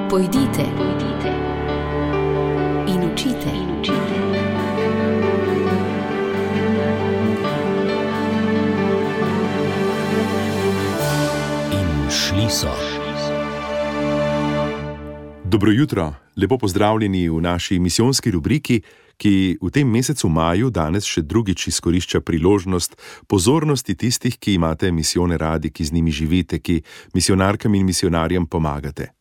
Pojdite in učite. In šli so. Dobro jutro, lepo pozdravljeni v naši misijonski rubriki, ki v tem mesecu maju danes še drugič izkorišča priložnost pozornosti tistih, ki imate misijone radi, ki z njimi živite, ki misijonarkam in misijonarjem pomagate.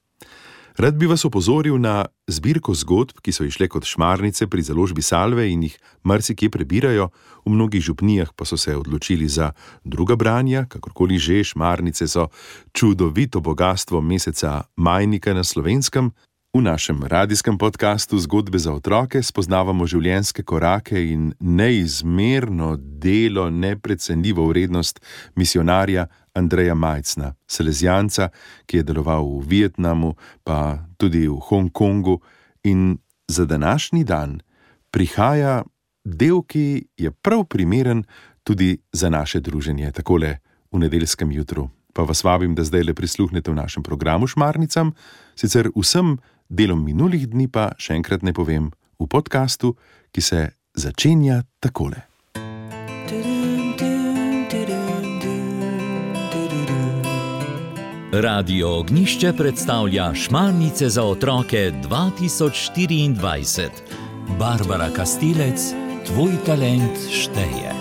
Rad bi vas opozoril na zbirko zgodb, ki so išle kot šmarnice pri založbi Salve in jih marsikje prebirajo, v mnogih župnijah pa so se odločili za druga branja, kakorkoli že. Šmarnice so čudovito bogastvo meseca majnika na Slovenskem. V našem radijskem podkastu Zgodbe za otroke spoznavamo življenjske korake in neizmerno delo, neprecenljivo vrednost misijonarja Andreja Majcna, salezijanca, ki je deloval v Vietnamu, pa tudi v Hongkongu. In za današnji dan prihaja del, ki je prav primeren tudi za naše druženje, takole v nedeljskem jutru. Pa vas vabim, da zdaj le prisluhnete v našem programu Šmarnicam, sicer vsem delom minulih dni pa še enkrat ne povem v podkastu, ki se začenja takole. Radio Ognjišče predstavlja Šmarnice za otroke 2024. Barbara Kastilec, tvoj talent šteje.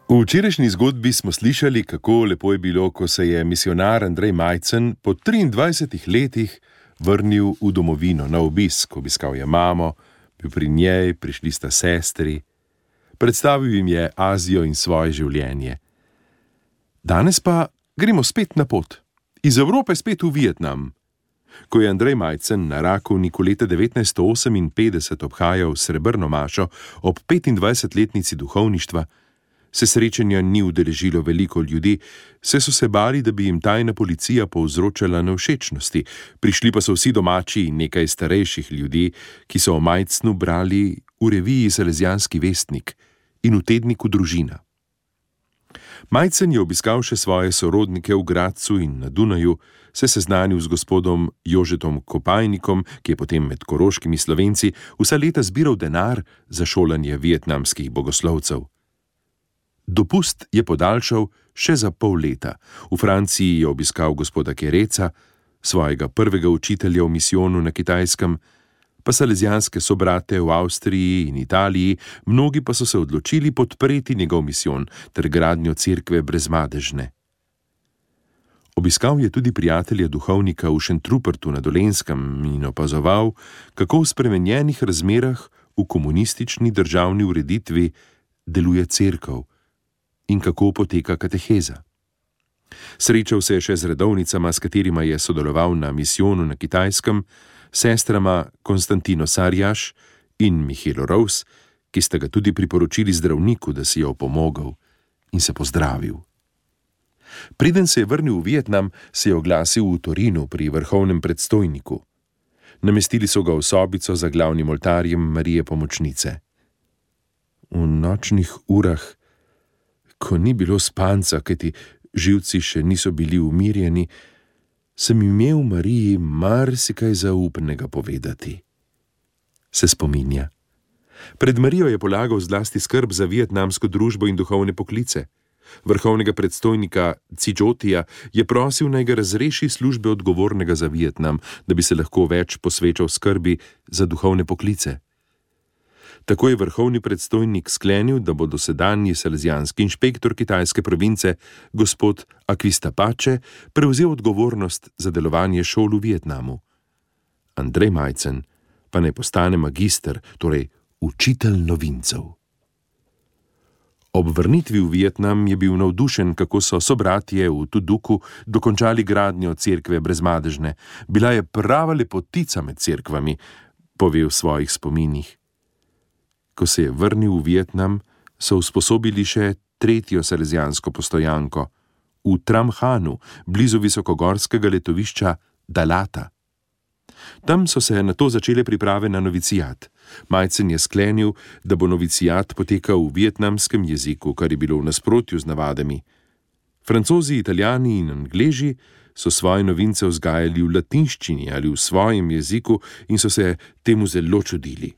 V včerajšnji zgodbi smo slišali, kako lepo je bilo, ko se je misijonar Andrej Majcen po 23 letih vrnil v domovino na obisk. Obiskal je mamo, bil pri njej, prišli sta sestri. Predstavil jim je Azijo in svoje življenje. Danes pa gremo spet na pot. Iz Evrope spet v Vietnam. Ko je Andrej Majcen na Rakovniku leta 1958 obhajal srebrno mašo ob 25-letnici duhovništva, se srečanja ni udeležilo veliko ljudi, saj so se bali, da bi jim tajna policija povzročala nevšečnosti. Prišli pa so vsi domači in nekaj starejših ljudi, ki so o Majcnu brali v reviji Salezijanski vestnik in v tedniku Družina. Majcen je obiskal še svoje sorodnike v Gradcu in na Dunaju, se seznanil z gospodom Jožetom Kopajnikom, ki je potem med koroškimi Slovenci vsa leta zbiral denar za šolanje vietnamskih bogoslovcev. Dopust je podaljšal še za pol leta. V Franciji je obiskal gospoda Kereca, svojega prvega učitelja v misijonu na Kitajskem, pa salezijanske sobrate v Avstriji in Italiji, mnogi pa so se odločili podpreti njegov misijon ter gradnjo cerkve Brezmadežne. Obiskal je tudi prijatelja duhovnika v Šentrupertu na Dolenjskem in opazoval, kako v spremenjenih razmerah v komunistični državni ureditvi deluje cerkev in kako poteka kateheza. Srečal se je še z redovnicama, s katerima je sodeloval na misijonu na Kitajskem, sestrama Konstantino Sarjaš in Mihelo Rous, ki sta ga tudi priporočili zdravniku, da si je opomogel, in se pozdravil. Preden se je vrnil v Vietnam, se je oglasil v Torinu pri vrhovnem predstojniku. Namestili so ga v sobico za glavnim oltarjem Marije Pomočnice. V nočnih urah, ko ni bilo spanca, kajti živci še niso bili umirjeni, sem imel Mariji marsikaj zaupnega povedati. Se spominja. Pred Marijo je polagal zlasti skrb za vietnamsko družbo in duhovne poklice. Vrhovnega predstojnika Cidžotija je prosil, naj ga razreši službe odgovornega za Vietnam, da bi se lahko več posvečal skrbi za duhovne poklice. Tako je vrhovni predstojnik sklenil, da bo dosedanji salezijanski inšpektor kitajske province, gospod Akvistapače, prevzel odgovornost za delovanje šol v Vietnamu. Andrej Majcen pa naj postane magister, torej učitelj novincev. Ob vrnitvi v Vietnam je bil navdušen, kako so sobratje v Tuduku dokončali gradnjo cerkve Brezmadežne. Bila je prava lepotica med cerkvami, pove v svojih spominih. Ko se je vrnil v Vietnam, so usposobili še tretjo salezijansko postojanko v Tram Hanu, blizu visokogorskega letovišča Dalata. Tam so se nato začele priprave na novicijat. Majcen je sklenil, da bo novicijat potekal v vietnamskem jeziku, kar je bilo v nasprotju z navadami. Francozi, Italijani in Angleži so svoje novince vzgajali v latinščini ali v svojem jeziku in so se temu zelo čudili.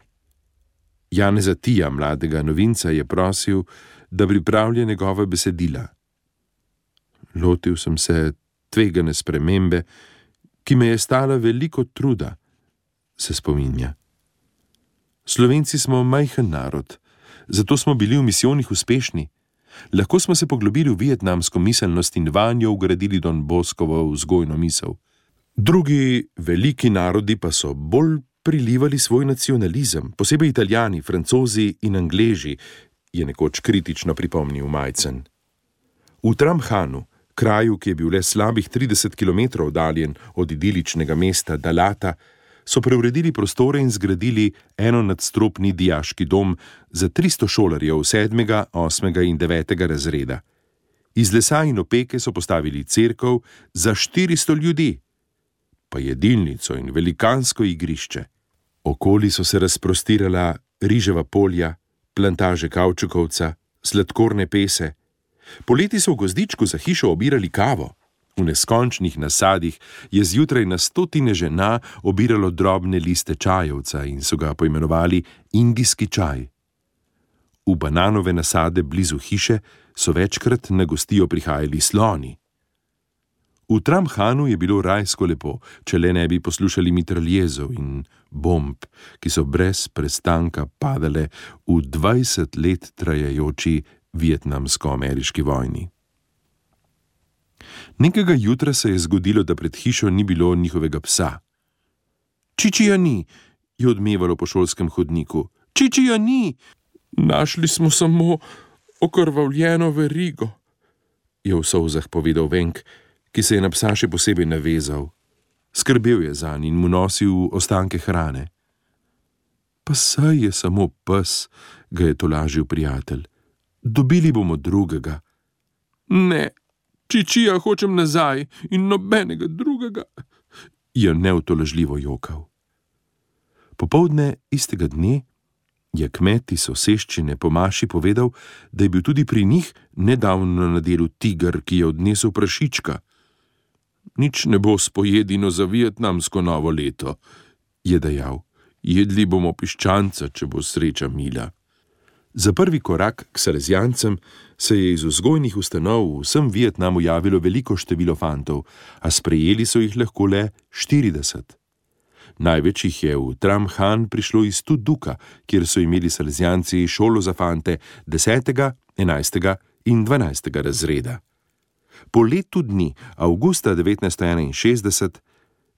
Janeza Tija, mladega novinca, je prosil, da pripravlja njegova besedila. Lotil sem se tvegane spremembe, ki me je stala veliko truda, se spominja. Slovenci smo majhen narod, zato smo bili v misijonih uspešni. Lahko smo se poglobili v vietnamsko miselnost in vanjo ugradili Don Boscovo vzgojno misel. Drugi veliki narodi pa so bolj prilivali svoj nacionalizem, posebej Italijani, Francozi in Angleži, je nekoč kritično pripomnil Majcen. V Tram Hanu, kraju, ki je bil le slabih 30 km oddaljen od idiličnega mesta Dalata, so preuredili prostore in zgradili enonadstropni dijaški dom za 300 šolarjev 7., 8. in 9. razreda. Iz lesa in opeke so postavili cerkev za 400 ljudi, pa jedilnico in velikansko igrišče. Okoli so se razprostirala riževa polja, plantaže kavčukovca, sladkorne pese. Poleti so v gozdičku za hišo obirali kavo. V neskončnih nasadih je zjutraj na stotine žena obiralo drobne liste čajevca in so ga poimenovali indijski čaj. V bananove nasade blizu hiše so večkrat na gostijo prihajali sloni. V Tram Hanu je bilo rajsko lepo, če le ne bi poslušali mitraljezov in bomb, ki so brez prestanka padale v 20 let trajajoči vietnamsko-ameriški vojni. Nekega jutra se je zgodilo, da pred hišo ni bilo njihovega psa. Čičija ni, je odmevalo po šolskem hodniku. Čičija ni! Našli smo samo okrvavljeno verigo, je v solzah povedal Venk, ki se je na psa še posebej navezal. Skrbel je zanj in mu nosil ostanke hrane. Pa saj je samo pes, ga je tolažil prijatelj. Dobili bomo drugega. Ne, Čičija hočem nazaj in nobenega drugega, je neutolažljivo jokal. Popoldne istega dne je kmet iz soseščine po maši povedal, da je bil tudi pri njih nedavno na delu tiger, ki je odnesel prašička. Nič ne bo s pojedino za vietnamsko novo leto, je dejal. Jedli bomo piščanca, če bo sreča mila. Za prvi korak k salezijancem se je iz vzgojnih ustanov v vsem Vietnamu javilo veliko število fantov, a sprejeli so jih lahko le 40. Največ jih je v Tram Han prišlo iz Tu Duka, kjer so imeli salezijanci šolo za fante 10., 11. in 12. razreda. Po letu dni, avgusta 1961,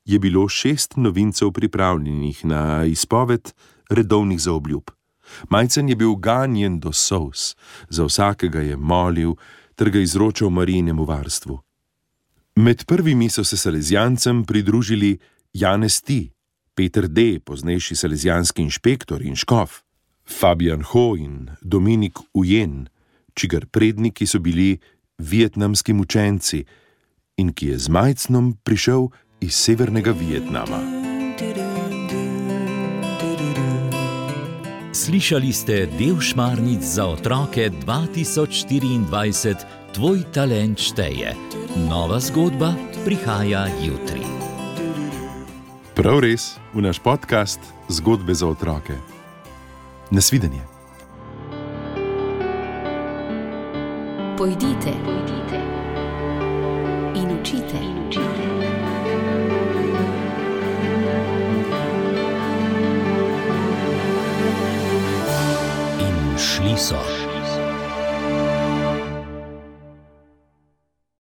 je bilo 6 novincev pripravljenih na izpoved redovnih zaobljub. Majcen je bil ganjen do solz, za vsakega je molil ter ga izročal Marijinemu varstvu. Med prvimi so se salezijancem pridružili Janez Ti, Peter D., poznejši salezijanski inšpektor in škof, Fabian Ho in Dominik Ujen, čigar predniki so bili vietnamski mučenci in ki je z Majcnom prišel iz severnega Vietnama. Slišali ste del Šmarnic za otroke 2024 Tvoj talent šteje. Nova zgodba prihaja jutri. Prav res, v naš podcast Zgodbe za otroke. Nasvidenje. Pojdite in učite. In šli so.